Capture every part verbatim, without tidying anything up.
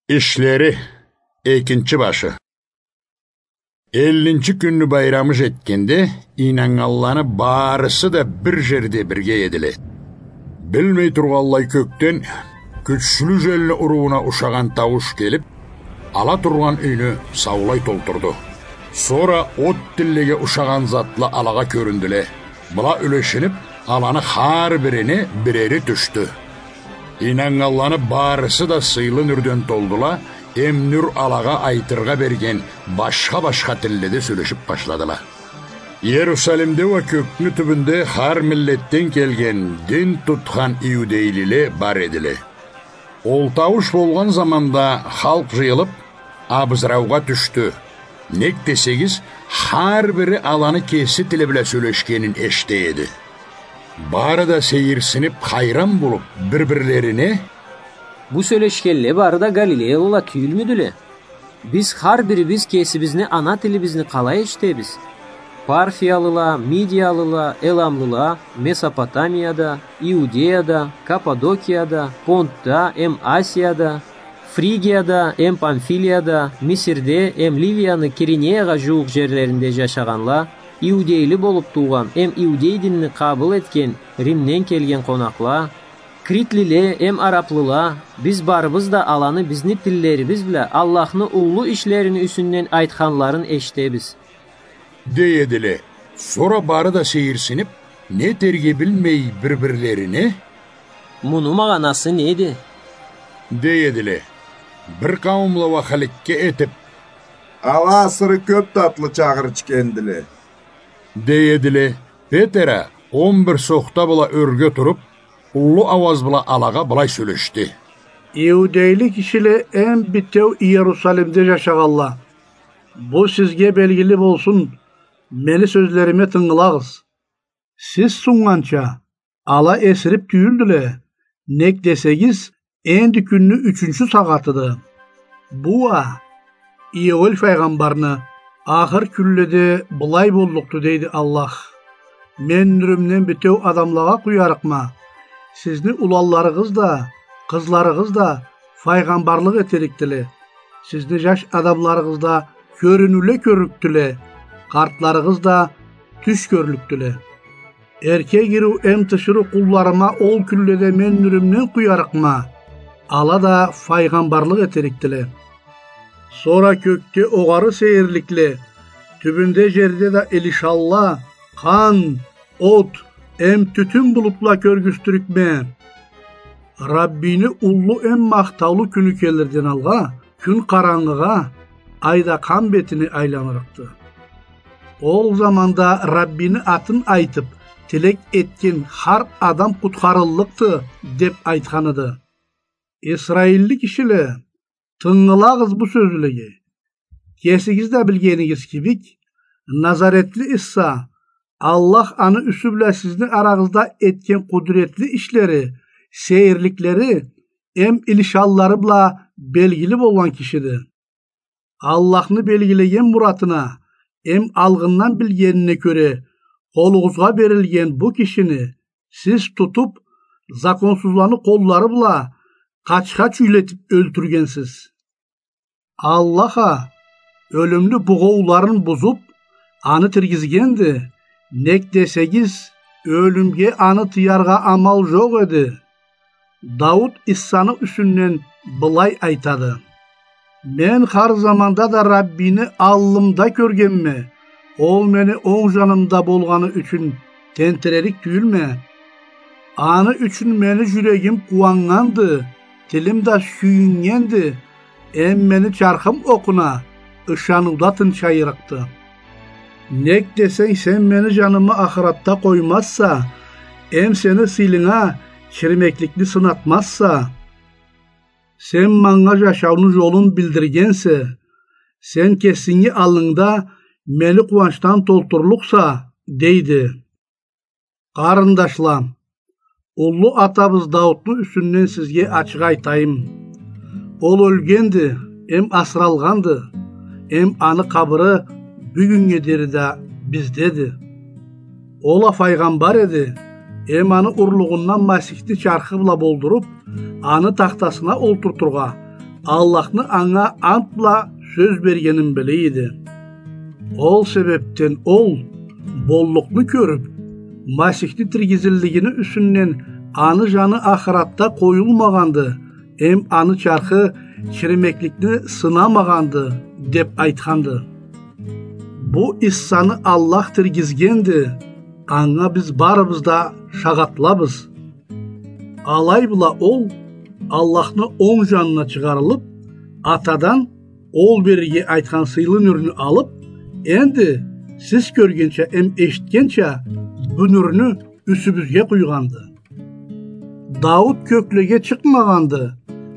Ишлери, экинчи башы. Эллинчи кюнню байрамы жетгенде, ийнаннганланы барысы да бир жерде бирге эдиле. Билмей тургъанлай кёкден кючлю желни урууна ушагъан таууш келип, ала тургъан юйню саулай толтурду. Сора от тиллеге ушагъан затла алагъа кёрюндюле. Была юлешинип, аланы хар бирине бирери тюшдю. Ийнаннганланы барысы да сыйлы нюрден толдула, эм нюр алагъа айтыргъа берген башха-башха тилледе сёлешип башладыла. Иерусалимде уа кёкню тюбюнде хар миллетден келген дин тутхан иудейлиле бар эдиле. Ол таууш болгъан заманда халкъ жыйылып, абызраугъа тюшдю. Нек десегиз, хар бири аланы кеси тили бла сёлешгенин эшите эди. Бары да сейирсинип, хайран болуп, бир-бирлерине: «Бу сёлешгенле бары да галилеялыла тюйюлмюдюле? Биз хар бирибиз кесибизни ана тилибизни къалай эшитебиз? Парфиялыла, мидиялыла, эламлыла Месопотамияда, Иудеяда, Каппадокияда, Понтда эм Асияда, Фригияда эм Памфилияда, Мисирде эм Ливияны Киринеягъа жууукъ жерлеринде жашагъанла, иудейли болуп туугъан эм иудей динни къабыл этген Римден келген къонакъла, критлиле эм араблыла, биз барыбыз да аланы бизни тиллерибиз бла Аллахны уллу ишлерини юсюнден айтханларын эшитебиз», — дей эдиле. Сора бары да сейирсинип, не этерге билмей бир-бирлерине: «Муну магъанасы неди?» — дей эдиле. Бир къауумла уа хыликке этип: «Ала асыры кёп татлы чагъыр ичгендиле», — дей эдиле. Петер а он бир сохта бла ёрге туруп, уллу ауаз бла алагъа былай сёлешди: «Иудейлик кишиле эм битеу Иерусалимде жашагъанла, бу сизге белгили болсун, мени сёзлериме тынгылагъыз. Сиз суннганча, ала эсирип тюйюлдюле, нек десегиз, энди кюнню ючюнчю сагъатыды. Бу уа Иоэль файгъамбарны: „Ахыр кюнледе былай боллукъду, – дейди Аллах. – Мен нюрюмден битеу адамлагъа къуярыкъма. Сизни уланларыгъыз да, къызларыгъыз да файгъамбарлыкъ этерикдиле. Сизни жаш адамларыгъыз да кёрюнюуле кёрлюкдюле, къартларыгъыз да тюш кёрлюкдюле. Эрке гириу эм тиширыу къулларыма ол кюнледе мен нюрюмден къуярыкъма, ала да файгъамбарлыкъ этерикдиле“. Сора кёкде огъары сейирликле, тюбюнде жерде да илишанла, къан, от эм тютюн булутла кёргюзтюрюкме. Раббини уллу эм махтаулу кюню келирден алгъа, кюн къарангыгъа, ай да къан бетине айланырыкъды. Ол заманда Раббини атын айтып, тилек этген хар адам къутхарыллыкъды, деп айтханыды. Исраиллик кишиле, тынгылагъыз бу сёзлеге. Кесигиз да билгенигиз кибик, Назаретли Иса, Аллах аны юсю бла сизни арагъызда этген къудуретли ишлери, сейирликлери эм илишанлары бла белгили болгъан кишиди. Аллахны белгилеген муратына эм алгъындан билгенине кёре, къолугъузгъа берилген бу кишини сиз тутуп, законсузланы къоллары бла къачха чюйлетип ёлтюргенсиз. Аллах а ёлюмню бугъоуларын бузуп, аны тиргизгенди, нек десегиз, ёлюмге аны тыяргъа амал жокъ эди. Дауут Исаны юсюнден былай айтады: „Мен хар заманда да Раббини аллымда кёргенме, ол мени онг жанымда болгъаны ючюн тентирерик тюйюлме. Аны ючюн мени жюрегим къууаннганды, тилим да сюйюннгенди, эм мени чархым окъуна ышаныуда тынчайырыкъды. Нек десенг, сен мени жанымы ахыратда къоймазса, эм сени сыйлыгъынга чирмекликни сынатмазса, сен манга жашауну жолун билдиргенсе, сен кесинги аллынгда мени къууанчдан толтурлукъса“, – дейди. Къарындашла, уллу атабыз Даутну юсюнден сизге ачыкъ айтайым. Ол ёлгенди, эм асыралгъанды, эм аны къабыры бюгюннге дери да биздеди. Ол а файгъамбар эди, эм аны урлугъундан Масихни чархы бла болдуруп, аны тахтасына олтуртургъа Аллахны анга ант бла сёз бергенин биле эди. Ол себебден ол, боллукъну кёрюб, Масихни тиргизиллигини юсюнден аны жаны ахыратда къоюлмагъанды, эм аны чархы чиримекликни сынамагъанды, деб айтханды. Бу Иссаны Аллах тиргизгенди, анга биз барыбыз да шагъатлабыз. Алай бла ол Аллахны онг жанына чыгъарылыб, Атадан ол берирге айтхан сыйлы нюрню алыб, энди сиз кёргенча эм эшитгенча бу нюрню юсюбюзге къуйгъанды. Дауут кёклеге чыкъмагъанды,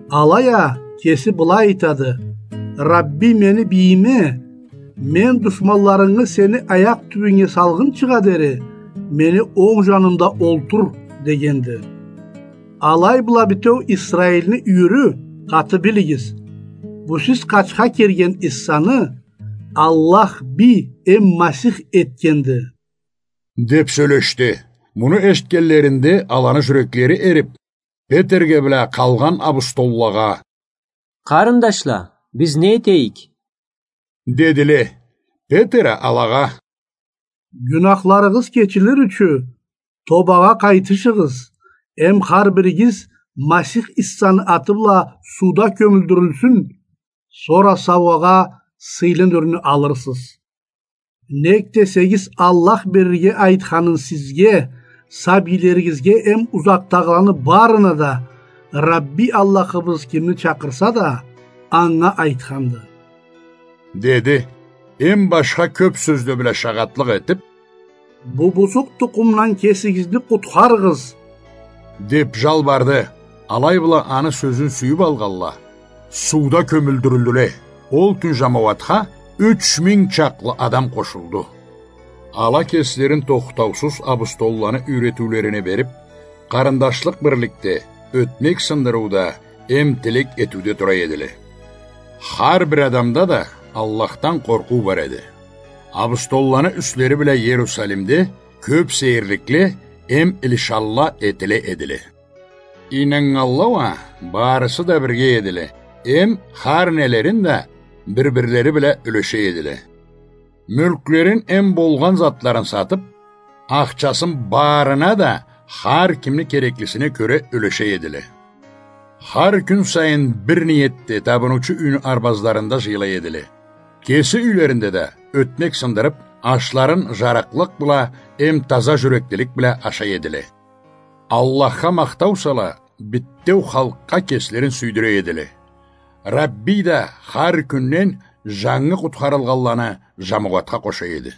алай а кеси былай айтады: «Рабби мени бийиме, мен душманларынгы сени аякъ тюбюнге салгъынчыгъа дери мени онг жанымда олтур», — дегенди. Алай бла битеу Исраилни юйюрю къаты билигиз: бу сиз къачха кирген Иссаны Аллах бий эм Масих этгенди. Деб сёлешди. Муну эшитгенлеринде аланы жюреклери эриб, Петерге бла къалгъан абустоллагъа: «Къарындашла, биз не этейик?» — дедиле. Петер а алагъа: «Гюнахларыгъыз кечилир ючюн тобагъа къайтышыгъыз, эм хар биригиз Масих Иссаны аты бла сууда кёмюлдюрюлсюн, сора сауагъа сыйлы нюрню алырсыз. Нек десегиз, Аллах берирге айтханын сизге, сабийлеригизге эм узакъдагъыланы барына да, Рабби Аллахыбыз кимни чакъырса да, анга айтханды», — деди. Эм башха кёб сёзле бла шагъатлыкъ этиб: «Бу бузукъ тукъумдан кесигизни къутхарыгъыз», — деб жалбарды. Алай бла аны сёзюн сюйюб алгъанла, сууда кёмюлдюрюлдюле. Ол кюн жамауатха юч минг чакълы адам къошулду. Ала кеслерин тохтаусуз абустолланы юйретиулерине бериб, къарындашлыкъ бирликде, ётмек сындырыуда эм тилек этиуде тура эдиле. Хар бир адамда да Аллахдан къоркъуу бар эди. Абустолланы юслери бла Иерусалимде кёб сейирликле эм илишанла этиле эдиле. Ийнаннганла уа барысы да бирге эдиле, эм хар нелерин да бир-бирлери бла юлеше эдиле. Мюлклерин эм болгъан затларын сатыб, ахчасын барына да хар кимни кереклисине кёре юлеше эдиле. Хар кюн сайын бир ниетде табыныучу юйню арбазларында жыйыла эдиле. Кеси юйлеринде да ётмек сындырыб, ашларын жарыкълыкъ бла эм таза жюреклилик бла ашай эдиле. Аллахха махтау сала, битеу халкъгъа кеслерин сюйдюре эдиле. Рабби да хар кюнден жангы къутхарылгъанланы жамауатха къоша эди.